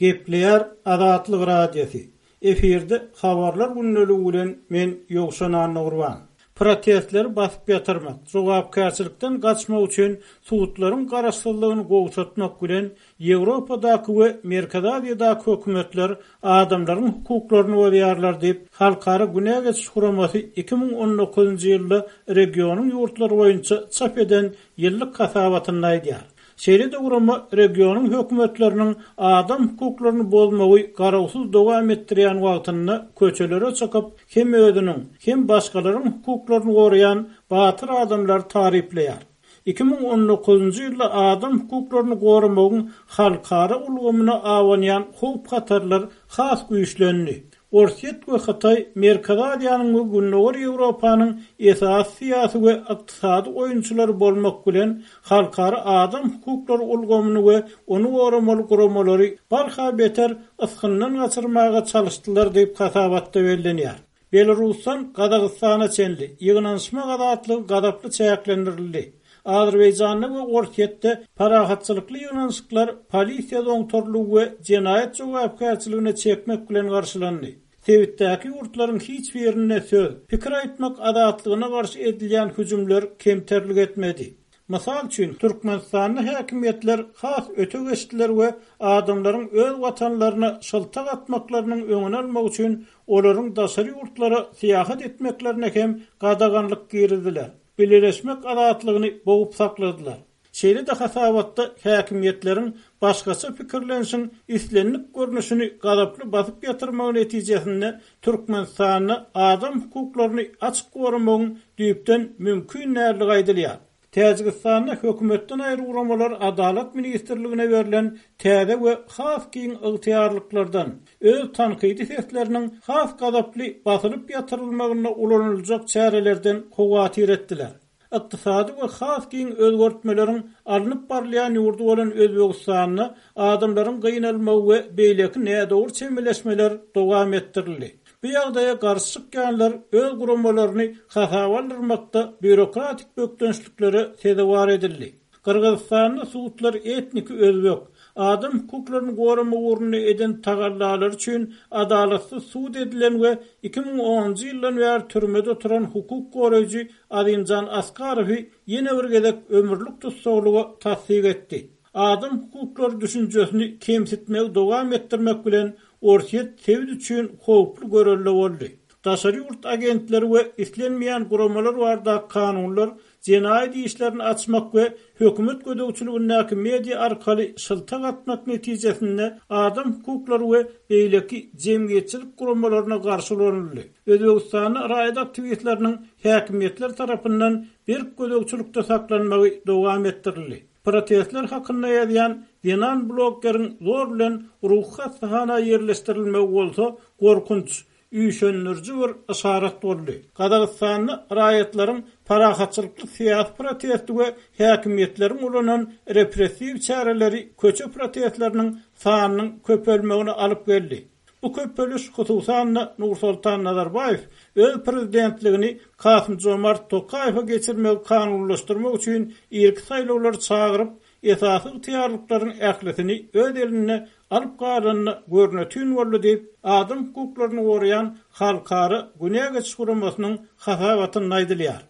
Gepleýär Azatlyk Radiosy, Efirde Habarlar gündeligi bilen men Ýowşan Annagurban. Protestleri basyp ýatyrmak, jogapkärçilikden gaçmak üçin sudlaryň garaşsyzlygyny gowşatmak bilen Ýewropadaky we Merkezi Aziýadaky hökümetler adamlaryň hukuklaryny bozýarlar diýip, Halkara günä geçiş guramasy 2019-njy ýylda regionyň ýurtlary boýunça çap eden ýyllyk hasabatynda aýdýar. Şeýle-de gurama regionyň hökümetleriniň adam hukuklaryny bozmagy garawsyz dowam etdirýän wagtynda köçelere çykyp, hem özüniň, hem başgalaryň hukuklaryny goraýan batyr adamlary taryplaýar. 2019-njy ýylda adam hukuklaryny goramagyň halkara ulgamyna abanýan howp-hatarlar has güýçlendi. Orsýet we Hytaý Merkezi Aziýanyň we Gündogar Ýewropanyň esasy syýasy we ykdysady oýunçylary bolmak bilen, halkara adam hukuklary ulgamyny we ony goramaly guramalary barha beter ysgyndan gaçyrmaga çalyşdylar diýip hasabatda bellenýär. Belarusdan Gazagystana çenli ýygnanyşmak azatlygy gazaply çäklendirildi. Azerbaýjanda we Orsýetde parahatçylykly ýygnanyşyklar polisiýa zoňtarlygy we jenaýat jogapkärçiligine çekmek bilen garşylandy. Sebitdäki ýurtlaryň hiç birinde söz, pikir aýtmak azatlygyna garşy edilýän hüjümler kemterlik etmedi. Mysal üçin, Türkmenistanda häkimiýetler has öte geçdiler we adamlaryň öz watanlaryna şyltak atmaklarynyň öňüni almak üçin olaryň daşary ýurtlara syýahat etmeklerine hem gadaganlyk girizdiler, bileleşmek azatlygyny bogup sakladylar. Şeýle-de hasabatda häkimiýetleriň başgaça pikirlenişiň islendik görnüşini gazaply basyp ýatyrmagy netijesinde Türkmenistanda adam hukuklaryny açyk goramagyň düýpden mümkin däldigi aýdylýar. Täjigistanda hökümetden aýry guramalar Adalat ministrligine berlen täze we has giň ygtyýarlyklardan, öz tankydy sesleriniň has gazaply basylyp ýatyrylmagynda ulanyljak çärelerden howatyr etdiler. Ykdysady we has giň özgertmeleriň alnyp barylýan ýurdy bolan Özbegistanda adamlaryň gynalmagy we beýleki nädogry çemeleşmeler dowam etdirildi. Bu ýagdaýa garşy çykýanlar öz guramalaryny hasaba aldyrmakda býurokratik bökdençliklere sezewar edildi. Gyrgyzystanda sudlar etniki özbek, adam hukuklaryny goramak ugrunda eden tagallalary üçin adalatsyz sud edilen we 2010-njy ýyldan bäri türmede oturan hukuk goraýjy Azimjan Askarowy ýene bir gezek ömürlik tussaglyga tassyk etdi. Adam hukuklary düşünjesini kemsitmegi dowam etdirmek bilen, Orsýet sebit üçin howply görelde boldy. Daşary ýurt agentleri we islenmeýän guramalar baradaky kanunlar jenaýat işlerini açmak we hökümet gözegçiligindäki media arkaly şyltak atmak netijesinde adam hukuklary we beýleki jemgyýetçilik guramalaryna garşy ulanyldy. Özbegistanda raýat aktiwistleriniň häkimiýetler tarapyndan berk gözegçilikde saklanmagy dowam etdirildi. Protestler hakynda ýazýan zenan bloggeriň zor bilen ruhy hassahana ýerleşdirilmegi bolsa gorkunç, üýşendiriji bir yşarat boldy. Gazagystanda raýatlaryň parahatçylykly syýasy protesti we häkimiýetleriň ulanan repressiw çäreleri köçe protestleriniň sanynyň köpelmegine alyp geldi. Bu köpeliş, hususan-da, Nursoltan Nazarbaýew öz prezidentligini Kasym-Jomart Tokaýewe geçirmegi kanunylaşdyrmak üçin irki saýlawlary çagyryp, esasy ygtyýarlyklaryň ählisini öz elinde alyp galanda görnetin boldy diýip, adam hukuklaryny goraýan Halkara günä geçiş guramasynyň hasabatynda aýdylýar.